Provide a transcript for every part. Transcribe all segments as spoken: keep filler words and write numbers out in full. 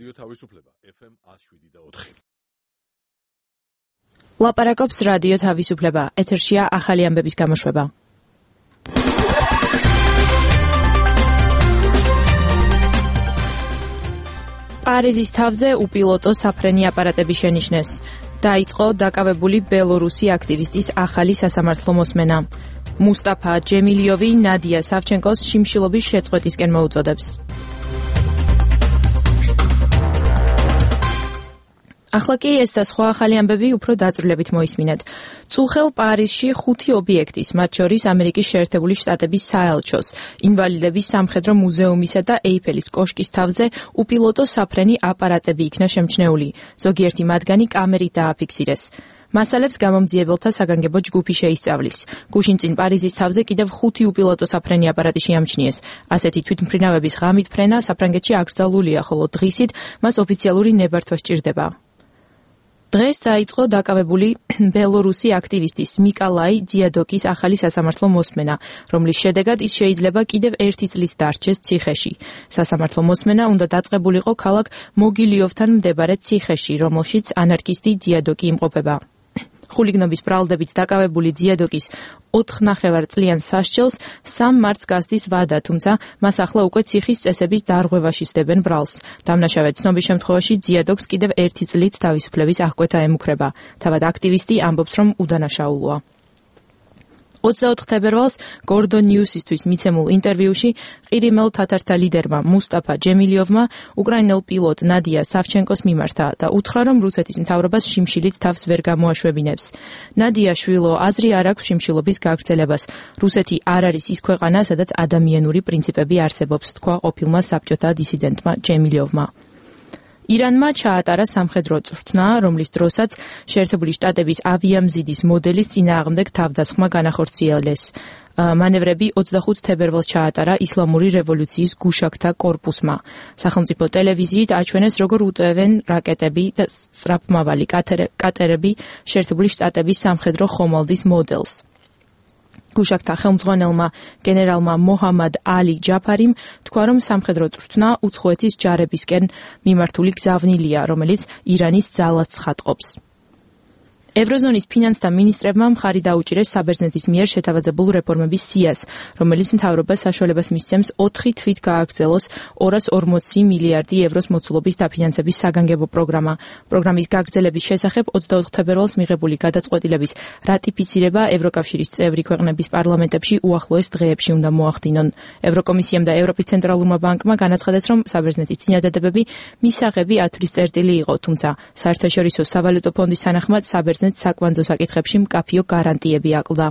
რადიო თავისუფლება ეფ ემ one oh seven და four. ლაპარაკობს რადიო თავისუფლება, ეთერშია ახალი ამბების გამოშვება. პარიზის თავზე უპილოტო საფრენი აპარატები შენიშნეს. დაიწყო დაკავებული ბელორუსი აქტივისტის ახალი სასამართლო მოსმენა. მუსტაფა ჯემილიოვი ნადია სავჩენკოს შიმშილობის შეწყვეტისკენ მოუწოდებს. ახლა კი ეს და სხვა ახალი ამბები უფრო დაწვრილებით მოისმინეთ. წუხელ პარიზში ხუთი ობიექტის, მათ შორის ამერიკის შეერთებული შტატების საელჩოს, ინვალიდების სამხედრო მუზეუმისა და ეიფელის კოშკის თავზე უპილოტო საფრენი აპარატები იქნა შემჩნეული. ზოგიერთი მათგანი კამერით დააფიქსირეს. მასალებს გამომძიებელთა საგანგებო ჯგუფი შეისწავლის. გუშინ წინ პარიზის თავზე კიდევ ხუთი უპილოტო საფრენი აპარატი შეამჩნიეს. ასეთი თვითმფრინავების ღამით ფრენა საფრანგეთში აკრძალულია, ხოლო დღისით მას ოფიციალური ნებართვა სჭირდება. დღეს დაიწყო დაკავებული ბელორუსი აქტივისტის მიკოლაი ძიადოკის ახალი სასამართლო მოსმენა, რომლის შედეგად ის შეიძლება კიდევ ერთი წლით დარჩეს ციხეში. სასამართლო მოსმენა უნდა დაწყებულიყო ქალაქ მოგილიოვთან მდებარე ციხეში, რომელშიც ანარქისტი ძიადოკი იმყოფება. ხულიგნობის ბრალდებით დაკავებული ძიადოკის ოთხნახევარწლიან სასჯელს სამ მარტს გასდის ვადა, თუმცა მას ახლა უკვე ციხის წესების დარღვევაში სდებენ ბრალს. დამნაშავე ცნობის შემთხვევაში ძიადოკს კიდევ ერთი წლით თავისუფლების აღკვეთა ემუქრება. თავად აქტივისტი ამბობს, რომ უდანაშაულოა. ოცდაოთხ თებერვალს გორდონ ნიუსისთვის მიცემულ ინტერვიუში ყირიმელ თათართა ლიდერმა მუსტაფა ჯემილიოვმა უკრაინელ პილოტ ნადია სავჩენკოს მიმართა და უთხრა, რომ რუსეთის მთავრობას შიმშილით თავს ვერ გამოაშვებინებს. ნადია შვილო აზრი არ აქვს შიმშილობის გაგრძელებას. რუსეთი არ არის ის ქვეყანა, სადაც ადამიანური პრინციპები არსებობს, თქვა ყოფილმა საბჭოთა დისიდენტმა ჯემილიოვმა. ირანმა ჩაატარა სამხედრო წვრთნა, რომლის დროსაც შეერთებული შტატების ავიამზიდის მოდელის წინააღმდეგ თავდასხმა განახორციელეს. მანევრები ოცდახუთ თებერვალს ჩაატარა ისლამური რევოლუციის გუშაკთა კორპუსმა. სახელმწიფო ტელევიზიით აჩვენეს, როგორ უტევენ რაკეტები და სწრაფმავალი კატერები შეერთებული შტატების სამხედრო ხომალდის მოდელს. გუშაკთა ხელმძღვანელმა გენერალმა მოჰამად ალი ჯაფარიმ თქვა, რომ სამხედრო წვრთნა უცხოეთის ჯარებისკენ მიმართული გზავნილია, რომელიც ირანის ძალას ცხადყოფს. ევროზონის ფინანსთა მინისტრებმა მხარი დაუჭირეს საბერძნეთის მიერ შეთავაზებულ რეფორმების სიას, რომელიც მთავრობას საშუალებას მისცემს ოთხი თვით გააგრძელოს ორას ორმოცი მილიარდი ევროს მოცულობის დაფინანსების საგანგებო პროგრამა. პროგრამის გაგრძელების შესახებ ოცდაოთხ თებერვალს მიღებული გადაწყვეტილების რატიფიცირება ევროკავშირის წევრი ქვეყნების პარლამენტებში უახლოეს დღეებში უნდა მოახდინონ. ევროკომისიამ და ევროპის ცენტრალურმა ბანკმა განაცხადეს, რომ საბერძნეთის წინადადებები მისაღები ათვლის წერტილი იყო, თუმცა საერთაშორისო სავალუტო ფონდის თანახმად საბერძნეთს საკვანძო საკითხებში მკაფიო გარანტიები აკლდა.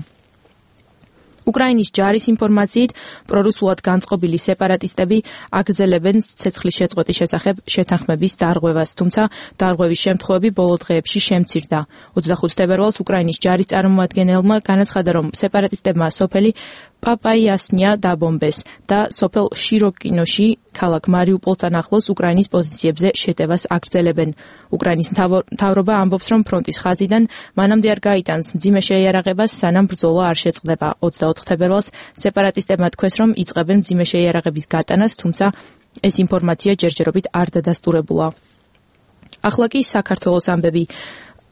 უკრაინის ჯარის ინფორმაციით, პრორუსულად განწყობილი სეპარატისტები აგრძელებენ ცეცხლის შეწყვეტის შესახებ შეთანხმების დარღვევას, თუმცა დარღვევის შემთხვევები ბოლო დღეებში შემცირდა. ოცდახუთ თებერვალს უკრაინის ჯარის წარმომადგენელმა განაცხადა, რომ სეპარატისტებმა სოფელი პაპაიასნია დაბომბეს და სოფელ შიროკინოში ქალაქ მარიუპოლთან ახლოს უკრაინის პოზიციებზე შეტევას აგრძელებენ. უკრაინის მთავრობა ამბობს, რომ ფრონტის ხაზიდან მანამდე არ გაიტანს მძიმე შეიარაღებას, სანამ ბრძოლა არ შეწყდება. ოცდაოთხ თებერვალს სეპარატისტებმა თქვეს, რომ იწყებენ მძიმე შეიარაღების გატანას, თუმცა ეს ინფორმაცია ჯერჯერობით არ დადასტურებულა. ახლა კი საქართველოს ამბები.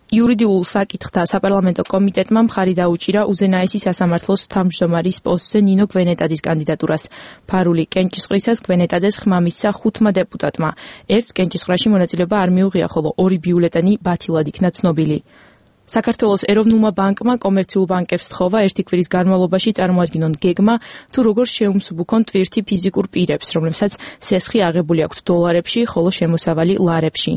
იურიდიულ საკითხთა საპარლამენტო კომიტეტმა მხარი დაუჭირა უზენაესი სასამართლოს თავმჯდომარის პოსტზე ნინო გვენეტაძის კანდიდატურას. ფარული კენჭისყრისას გვენეტაძეს ხმა მისცა ხუთმა დეპუტატმა. ერთს კენჭისყრაში მონაწილეობა არ მიუღია, ხოლო ორი ბიულეტენი ბათილად იქნა ცნობილი. საქართველოს ეროვნულმა ბანკმა კომერციულ ბანკებს თხოვა ერთი კვირის განმავლობაში წარმოადგინონ გეგმა, თუ როგორ შეუმსუბუქონ ტვირთი ფიზიკურ პირებს, რომლებსაც სესხი აღებული აქვთ დოლარებში, ხოლო შემოსავალი ლარებში.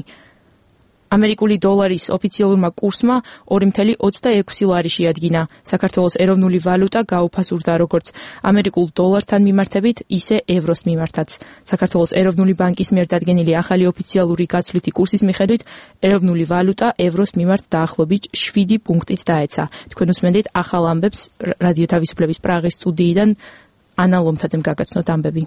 ამერიკული დოლარის ოფიციალურმა კურსმა ორი ათეული ოცდაექვსი ლარი შეადგინა. საქართველოს ეროვნული ვალუტა გაუფასურდა როგორც ამერიკულ დოლართან მიმართებით, ისე ევროს მიმართაც. საქართველოს ეროვნული ბანკის მიერ დადგენილი ახალი ოფიციალური გაცვლითი კურსის მიხედვით, ეროვნული ვალუტა ევროს მიმართ დაახლოებით შვიდი პუნქტით დაეცა. თქვენ უსმენთ ახალ ამბებს რადიო თავისუფლების პრაღის სტუდიიდან ანა ლომთაძემ გაგაცნოთ ამბები.